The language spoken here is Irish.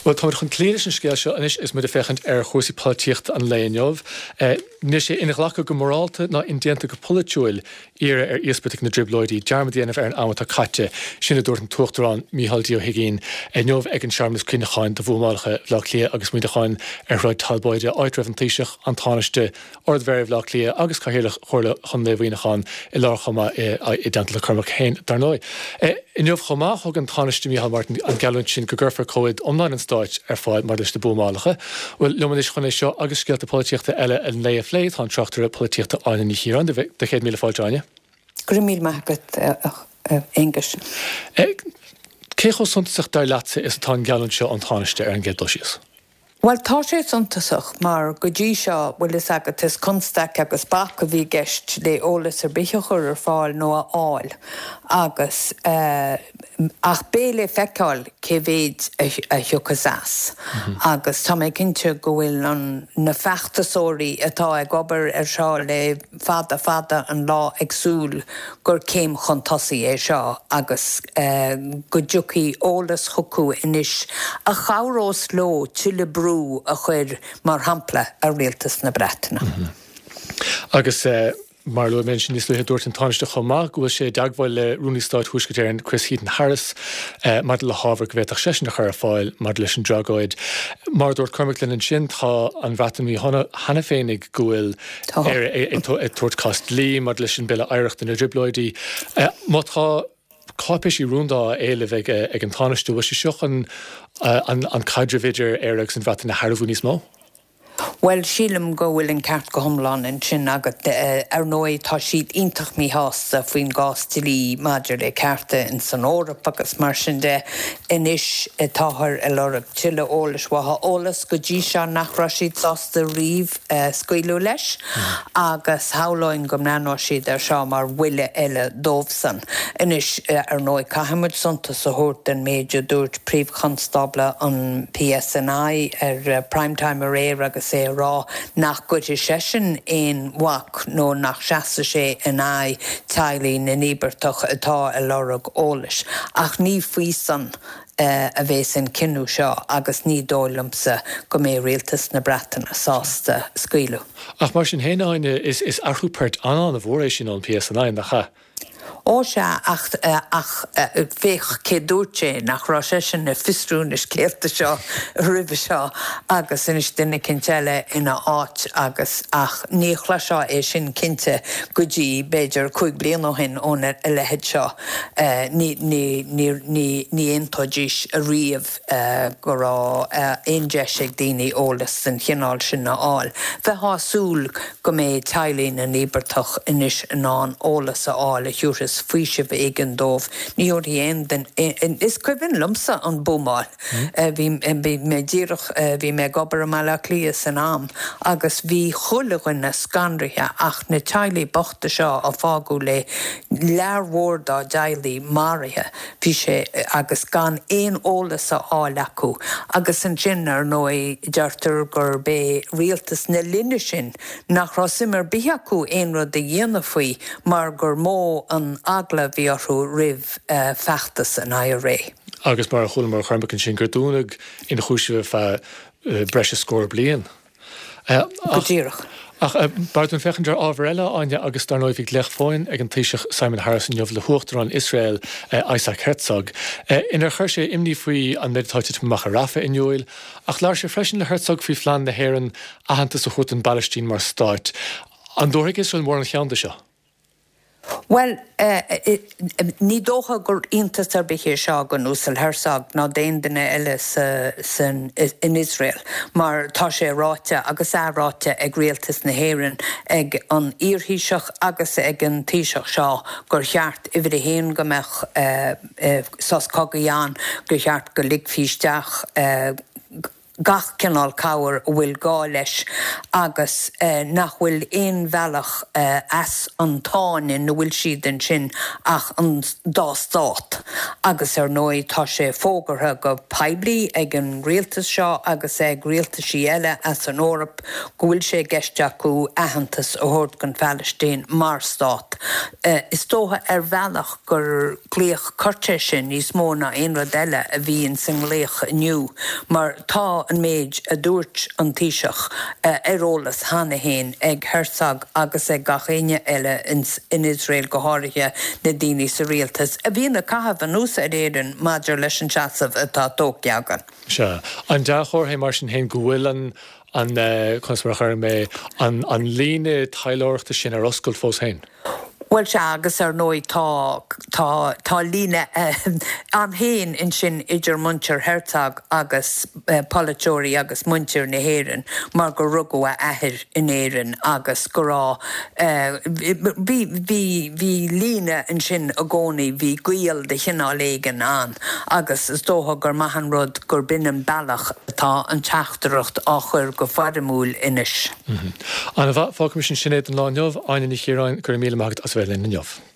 Bhuel, táimid chun cloí leis an scéal seo anois agus muid ag féachaint ar chúrsaí polaitíochta an lae inniu. Níl sé inghlactha go morálta ná indéanta go polaitiúil iarraidh ar íospartaigh na dTrioblóidí dearmad a dhéanamh ar an am atá caite, sin a dúirt an tUachtarán Micheál D. Ó hUigínn inniu ag an searmanas cuimhneacháin do bhuamálacha Bhaile Átha Cliath agus Mhuineacháin ar Shráid Talbóide, áit a raibh an Taoiseach, an Tánaiste, Ard-Mhéara Bhaile Átha Cliath agus Cathaoirleach Chomhairle Chontae Mhuineacháin i láthair chomh maith i dteannta le Cormac féin, dar ndóigh. Inniu chomh maith, thug an Tánaiste Micheál Martin an gheallúint sin go gcuirfear comhaid iomláin an Stáit ar fáil maidir leis na buamálacha. Bhuel, liom anois chun é seo agus scéalta polaitíochta eile an lae a phlé, tá an tráchtaire polaitíochta Áine Ní Chiaráin. Do chéad míle fáilte, Áine. Go raibh míle maith agat, a Aonghuis. Cé chomh suntasach, dar leatsa, is atá an gheallúint seo ón Tánaiste ar an gcéad dul síos? Bhuel, tá sé suntasach, mar go dtí seo, bhfuil fhios agat, is constaic agus bac a bhí i gceist le eolas ar bith a chur ar fáil nó a fháil agus, ach beidh le feiceáil cé mhéid a thiocfas as agus tá mé cinnte go bhfuil an, na feachtasóirí atá ag obair ar seo le fada fada an lá ag súil gur céim chun tosaigh é seo agus go dtiocfaidh eolas chucu anois a chabhrós leo tuilleadh brú a chur, mar shampla, ar Rialtas na Breataine. Agus mar a luaigh mé ansin níos luaithe, dúirt an Tánaiste chomh maith go bhfuil sé i dteagmháil le Rúnaí Stáit Thuaisceart Éireann Chris Heaton-Harris maidir le hábhar go bhféadfadh seisean a chur ar fáil maidir leis an dtragóid. Mar a dúirt Cormac linn ansin, tá an Bhreatain míshona cheana féin go bhfuil Éire ag tabhairt cás dlí maidir leis an Bille Oidhreachta na dTrioblóidí. Má tá cáipéisí rúnda á éileamh ag an Tánaiste, bhfuil sé seo chun an caidreamh idir Éire agus an Bhreatain a shearbhú níos mó? Bhuel, sílim go bhfuil an ceart go hiomlán ansin agat. Ar ndóigh, tá siad iontach míshásta faoin gcás dlí maidir le cearta ins an Eoraip agus mar sin de. Anois táthar ag lorg tuilleadh eolais uathu, eolas go dtí seo nach raibh siad sásta riamh scaoileadh leis agus shamhlóinn go mbreathnóidh siad air seo mar bhuille eile dóibhsan. Anois, ar ndóigh, caithfidh muid suntas a thabhairt don méid a dúirt Príomh-Chonstábla an PSNI ar Prime Time aréir agus é ag rá nach gcuirfidh seisean aon bhac nó nach seasfaidh sé in aghaidh teaghlaigh na n-íobartach atá ag lorg eolais. Ach ní faoi san a bhéas an cinneadh seo agus ní dóigh liomsa go mbeidh rialtas na Breataine sásta scaoileadh. Ach mar sin féin, Áine, is athrú poirt an-an-mhór é sin ón PSNI, nach ea? Ó sea, ach, ach féach cé dúirt sé, nach raibh seisean ag fiosrú na scéalta seo roimhe seo agus anois duine eicínt eile ina áit agus, ach ní chloisfeá é sin cinnte go dtí b'fhéidir 5 bliana ó shin óna leithéid seo. Ní, ní, ní, ní, ní aontóidís ariamh go raibh aon deis ag daoine eolas den chineál sin a fháil. Bheifeá ag súil go mbeidh teaghlaigh na n-íobartach anois in ann eolas a fháil a thiúrfas faoiseamh éigin dóibh. Ní thabharfaidh aon duine, is cuimhin liomsa an buamáil. Bhí mé díreach, bhí mé ag obair i mBaile Átha Cliath san am agus bhí chuile dhuine scanraithe ach na teaghlaigh bochta seo a fágadh le lear mhór dá dteaghlaigh maraithe, bhí sé, agus gan aon eolas a fháil acu. Agus ansin, ar ndóigh, deirtear gurb é rialtas na linne sin nach raibh suim ar bith acu aon rud a dhéanamh faoi mar gur mó an eagla a bhí orthu roimh feachtas an IRA. Agus mar a chualamar ó Chormac ansin, gur dúnadh ionchúisimh ar feadh breis is scór bliain. Go díreach. Ach b'fhearr dúinn féachaint ar ábhar eile, Áine, agus dar ndóigh bhí glaoch fóin ag an Taoiseach Simon Harris inniu le hUachtarán Iosrael, Isaac Herzog, inar chuir sé imní faoi an méid atá ag titim amach i Rafah in iúil. Ach labhair sé freisin le Herzog faoi phlean na hÉireann aitheantas a thabhairt don bPalaistín mar stát. An dtabharfaidh Iosrael mórán cheann de seo? Bhuel, ní dócha gur iontas ar bith é seo don Uasal Herzog ná d'aon duine eile san in Iosrael mar tá sé ráite agus athráite ag rialtas na hÉireann, ag an iarThaoiseach agus ag an Taoiseach seo gur cheart, uimhir a haon, go mbeadh sos cogaidh ann, gur cheart go ligfí isteach. gach cineál cabhair a bhfuil gá leis agus nach bhfuil aon bhealach as an tsáinn ina bhfuil siad ansin ach an dá stát. Agus ar ndóigh tá sé fógartha go poiblí ag an rialtas seo agus ag rialtaisí eile as an Eoraip go bhfuil sé i gceist acu aitheantas a thabhairt don Phalaistín mar stát. Is dócha ar bhealach gur glaoch coirt é sin níos mó ná aon rud eile a bhí ins an nglaoch inniu mar tá an méid a dúirt an Taoiseach ar eolas cheana féin ag Herzog agus ag gach éinne eile in Iosrael, go háirithe na daoine sa rialtas, a bhíonn ag caitheamh anuas ar Éirinn maidir leis an seasamh atá tógtha againn. Sea. An dea-chomhartha é mar sin féin go bhfuil an, an, conas mar a chuirfidh mé, an, an líne taidhleoireachta sin ar oscailt fós féin? Bhuel sea, agus ar ndóigh tá, tá, tá líne ann féin ansin idir muintir Herzog agus polaiteoirí agus muintir na hÉireann mar gur rugadh a athair in Éirinn agus go raibh, bhí, bhí, bhí líne ansin i gcónaí, bhí gaol de chineál éigin ann agus is dócha gur maith an rud gur b'in an bealach atá an teachtaireacht á chur go foirmiúil anois. Ana-mhaith. Fágfaimis ansin é don lá inniu. Áine Ní Chiaráin, go raibh míle maith agat as a bheith linn inniu.